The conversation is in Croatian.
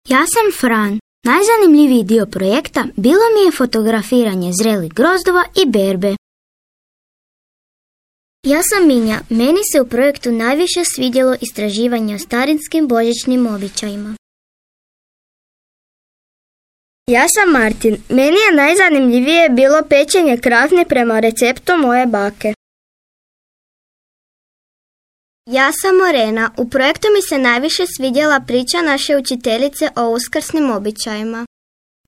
Ja sam Fran. Najzanimljiviji dio projekta bilo mi je fotografiranje zrelih grozdova i berbe. Ja sam Minja. Meni se u projektu najviše svidjelo istraživanje o starinskim božićnim običajima. Ja sam Martin. Meni je najzanimljivije bilo pečenje krafne prema receptu moje bake. Ja sam Morena. U projektu mi se najviše svidjela priča naše učiteljice o uskrsnim običajima.